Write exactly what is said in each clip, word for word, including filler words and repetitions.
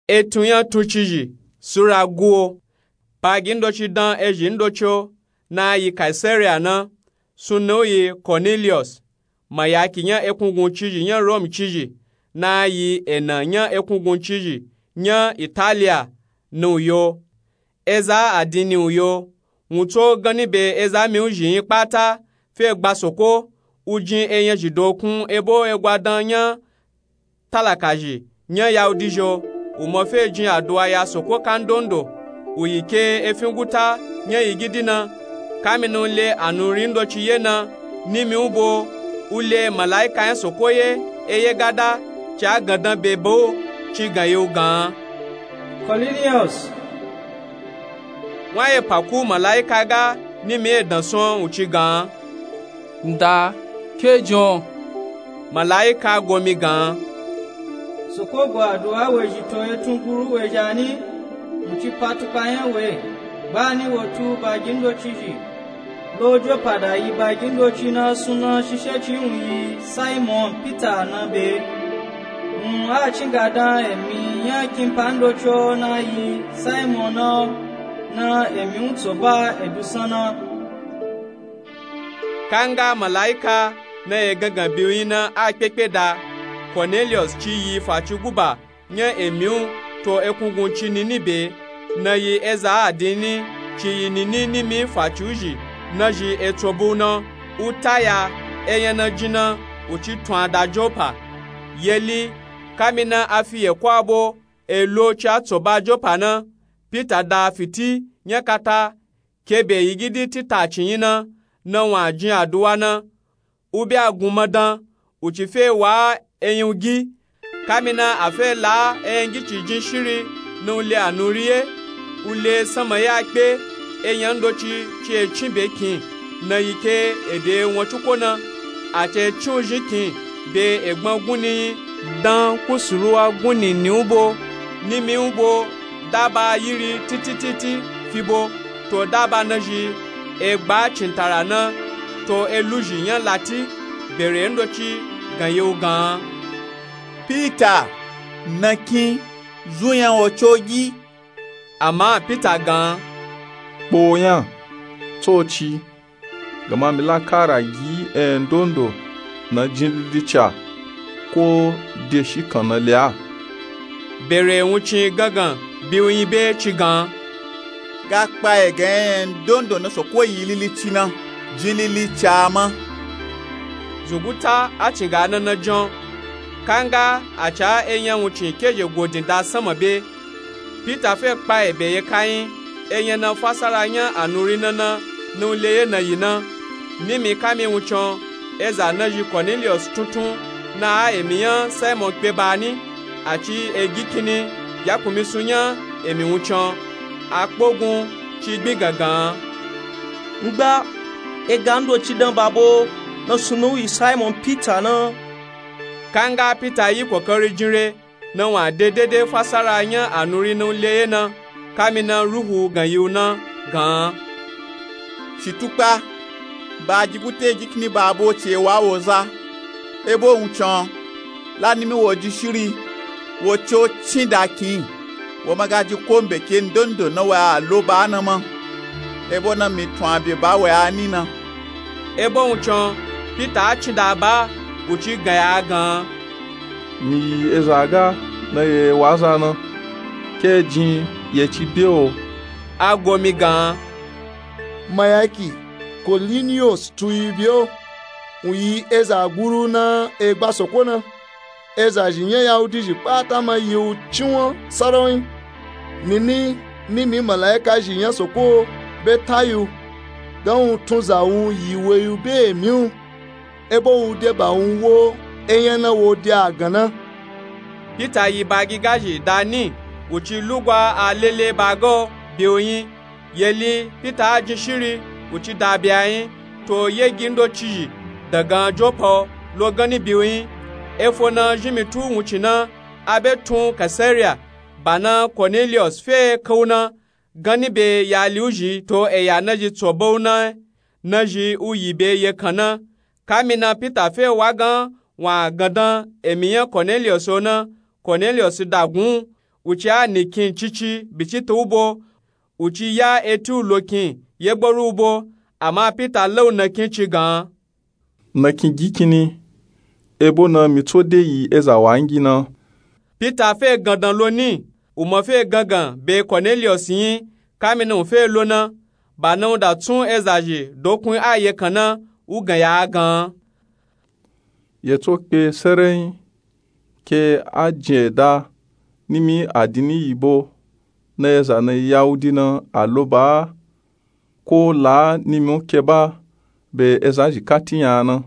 Etun nya tuncizhi sura guwo. Bagi ndoci dan ezhi ndoci o na yi kaisariya na. Sunnan u yi koneliyos. Mayaki nya ekunguncizhi nya rom cizhi na yi ena nya ekunguncizhi nya italiya. Ni u yo. Eza adinni u yo. Wun tso ganni be eza mi u zhi nyi kpata fe gba soko. U jin enyazhi dokun ebo egwadan nya talakazhi nya yahudi zhi o. U mo fe jin aduwa ya soko kandondo. U yi ke efin guta nya yigidi na. Kamina u le anuri ndoci ye na nimi u bo. U le malaika nya soko ye eye gada. Ci a gandan be be o. Ci gan yi u gan an. Koneliyos. Wun a ye pa ku malaika ga nimi e dan son u ci gan an. Nda, ke jin o? Malaika go mi gan an. Soko go aduwa wezhi to etun guru wezhi ani. Wun ci pa tukpa nya we. Gbani wo tu bagi ndocizhi lo jopa da yi bagi ndoci na sunnan shishe ci wun yi simon pita na be. Wun a cin ga dan emi nya kinpa ndoci o na yi simon na o. Na emi u tso ba edusan na. Kanga malaika na ye gangan biyu nyi na a kpekpe da. Koneliyos ci yi faci guba nya emi u to ekungunci nini be. Na yi eza adinni ci yi nini nimi faci u zhi na zhi etso bu na. U ta ya enya na jin na. U ci tun a da jopa. Yeli kamina a fi yeko abo e lo ci a tso ba jopa na. Pita da fiti nya kata. Ke be yigidi tita ci nyi na. Na wun a jin aduwa na. U be a gun madan. U ci fe wa enyun gi. Kamina a fe la enyun gi ci jin shiri. Na u le anuri ye. U le sanma ya kpe. Enya ndoci ci e cin be kin na yi ke ede won cuko na. A ci e cin u zhin kin be egban gunni nyi. Dan kusuruwa gunni ni u bo. Nimi u bo. Daba yiri titititi fi bo. To daba na zhi egba cintara na. To eluzhi nya lati. Bere ndoci gan yi u gan an. Pita, na kin, zun nya wo co gi. Ama pita gan an. Kpo nya tsoci. Gama mi la kara gi endondo na jin lilica ko de shi kan na le a. Bere wuncin gangan biyu nyi be ci gan an. Ga kpa e gan endondo na soko yi lilici na jin lilica ma. Zunguta a cin ga na na jan. Kanga a ca enya wuncin keje godin da sanma be. Pita fe kpa ebe ye kanyi. Enya na fasara nya anuri na na. Na u le ye na yi na. Nimi kami wuncin eza na zhi koneliyos tuntun. Na a emi nya simon kpe ba ni. A ci egi kinni ya kunmi sun nya emi wuncin. A kpogun ci gbin gangan an. Ngba ega ndoci dan ba bo. Na sunnan u yi simon pita na. Kanga pita yi kokari jin re. Na wun a de dede fasara nya anuri na u le ye na. Kamina ruhu gan yi u na gan an. Shi tukpa. Ba gi guta egi kinni ba bo ci e wa wo za. Ebo wuncin la nimi wo ji shiri. Wo co cin da kin. Wo ma ga ji ko mbe ke ndondo na wa a lo ba na ma. Ebo na mi tun a be ba wa a ni na. Ebo wuncin pita a cin da ba. U ci gan ya gan an. Mi yi eza ga na ye wa za na. Ke jin ye ci be o. A go mi gan an. Mayaki, koliniyos tun yi be o. Wun yi eza guru na egba soko na. Eza zhi nya yahudi zhi kpata ma yi u cinwan sarawin. Nini nimi malaika zhi nya soko be ta yi u. Gan wun tun za wun yi we yi u be emi u. Ebo wu de ba wun wo enya na wo de a gan na. Pita yi ba gigazhi da ni. Wu ci lugwa a lele ba ga o be u nyi. Yeli pita a jin shiri. Wu ci da be a nyi. To yegi ndocizhi dagan jopa o lo ganni be u nyi. Efo na zhinmi tu wuncin na. A be tun kaisariya. Ba na koneliyos fe kan u na. Ganni be yali u zhi to eya na zhi tso ba u na. Na zhi u yi be ye kan na. Kamina pita fe wa gan wun a gandan emi nya koneliyos o na. Koneliyos da gun un. Wuci a nikin cici bicita u bo, wuci ya eti u lokin yegboru u bo. Ama pita la u nakin ci gan. Nakin gikini, ebo na mi tso de yi eza wangi na. Pita fe gandan lo ni, u ma fe gangan be koneliyos yin. Kamina u fe lo na, ba na u da tsun eza zhi dokun ayekan na u gan ya a gan. Ye tso kpe serenyi ke a jin eda nimi adini yibo na eza na yawudi na a lo ba a, ko la nimi u ke ba be eza zhi kati nya a na.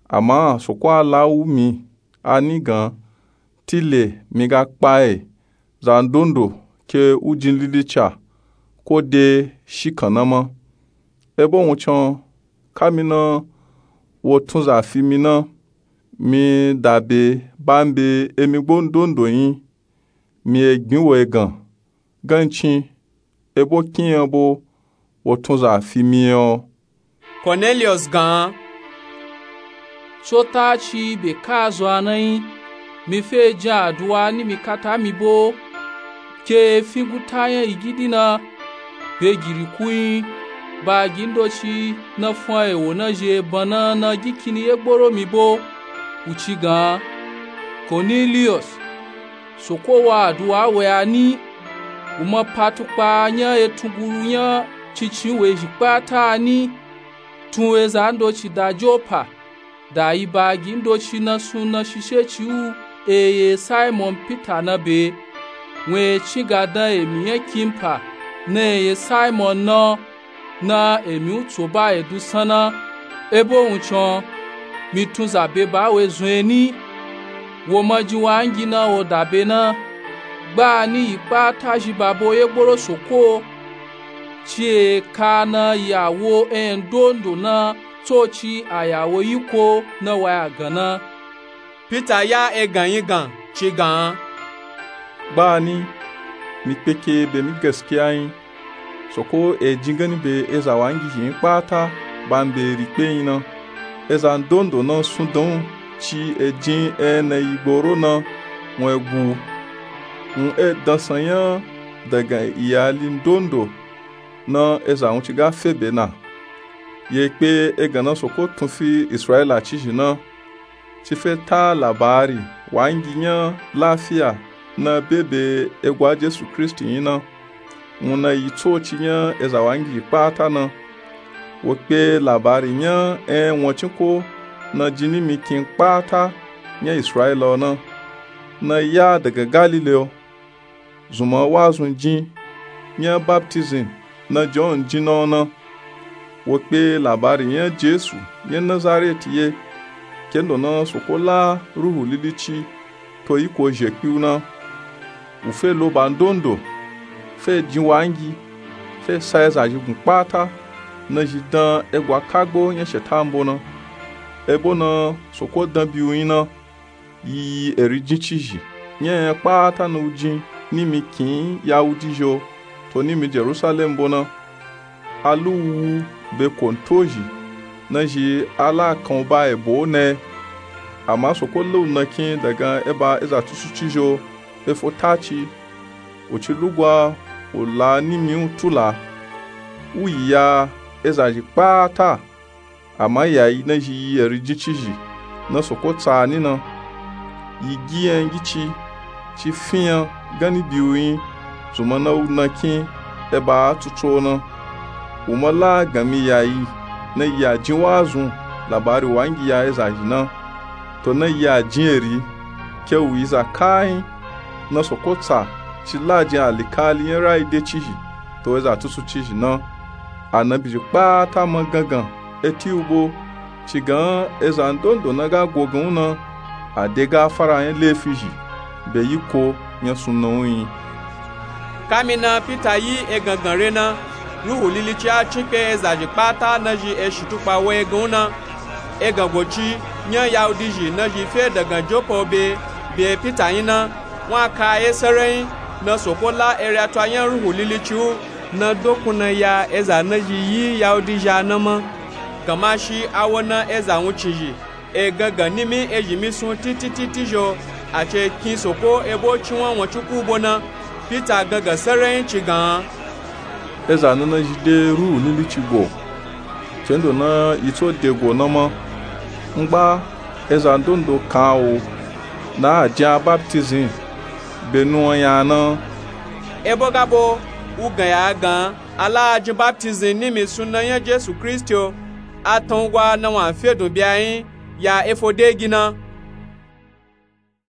Ama soko a la u mi a ni gan, tile mi ga kpa e zandondo ke u jin lilica ko de shikan na ma. Ebo wuncin, kamina wo tunza fi mi na, mi dabe ba mi be emi gbo ndondo yin, mi e gbin wo egan gancin, ebo kin yan bo wo tunza fi mi yan. Koneliyos gan. Tso ta ci be ka zo a na yin, mi fe jin aduwa nimi kata mi bo ke e fin guta yan igidi na be giriku yin. Ba gi ndoci na fun a ewo na zhi eban na na gikini yegboro mi bo, u ci gan. Koneliyos, soko wa aduwa we a ni, u ma pa tukpa yan etunguru yan cincin we zhi kpata a ni. Tun eza ndoci da jopa, da yi ba gi ndoci na sun na shishe ci u e ye simon pita na be. Wun e cin ga dan emi yan kimpa na e ye simon na, na emi u tso ba e dusan na. Ebo wuncin, mi tunza be ba we zun e ni, wo ma jin wangi na wo dabe na. Gba ni yi kpata zhi ba bo yegboro soko ci e ka na yawo en dondo na tsoci a yawo yiko na wa ya gan na. Pita ya egan yin gan ci gan. Gba ni, mi kpeke be mi gaskiya yin, soko e jin gani be eza wangi zhi yin kpata ba mi be ri kpe yin na. Eza ndondo na sun dan u ci e jin en na yi gboro na wun e gu u. Wun e dansan yan dagan iyali ndondo na eza wun ci ga fe be na. Ye kpe egan na soko tun fi israila cizhi na ci fe ta labari wangi yan lafiya na be be egwa jesu kristi yin na. Wun na yi tsoci yan eza wangi kpata na. Wo kpe labari yan en wancin ko na jin nimi kin kpata yan israila o na, na ya dagan galile o. Zunman wazun jin yan baptizim na jon jin na o na. Wo kpe labari yan jesu yan nazareti ye kendo na soko la ruhu lilici to yiko zhekpi u na. U fe lo ba ndondo, fe jin wangi, fe sa eza zhi gun kpata na zhi dan egwa kagbo yan shetan bo na. Ebo na soko dan bi u yin na. Yi yi eri jin cizhi yan yan kpata na u jin nimi kin yawudi zhi o to nimi jerusalem bo na. A lu u wu be konto zhi na zhi a la kan u ba ebo o na e. Ama soko la u nakin dagan eba eza tusuci zhi o e fo taci. U ci lugwa u la nimi u tula u yi ya eza zhi kpata. Ama yayi na zhi yi eri jin cizhi na soko tsa ni na. Yi gi yan gici ci fi yan gani bi u yin zunman na u nakin eba a tutu o na. U ma la gan mi yayi na yi a jin wazun labari wangi ya eza zhi na to na yi a jin eri ke u yi za kayin na soko tsa ci la jin alikali yan rayi de cizhi to eza tutu cizhi na. Anabi zhi kpata ma gangan eti u bo ci gan eza ndondo na ga go gan u na a de gafara yan lefi zhi be yiko yan sunna u yin. Kamina pita yi egangan re na ruhu lilici a cin kpe eza zhi kpata na zhi eshi tukpa wo egan u na. Egan goci yan yahudi zhi na zhi fe dagan jopa o be be pita yin na. Wun a ka ye serenyi na soko la eri ato a yan ruhu lilici u na dokun na ya eza na zhi yi yahudi zhi a na ma. Gamashi a wo na eza wuncin zhi e gangan nimi ezhi mi sun titititi zhi o. A ci kin soko ebo cinwan wancin ku bo na. Pita gangan saranyi ci gan. Eza na na zhi de ruhu ninici go. Cendo na yi tso de go na ma. Ngba eza ndondo kan a wo na a jin a baptizin be nuwan nya na. Ebo ga bo wu gan ya a gan a la a jin baptizin nimi suna nya jesu kristi o. A tan wu gwa na wan a fe dun bi a yin ya efo de gi na.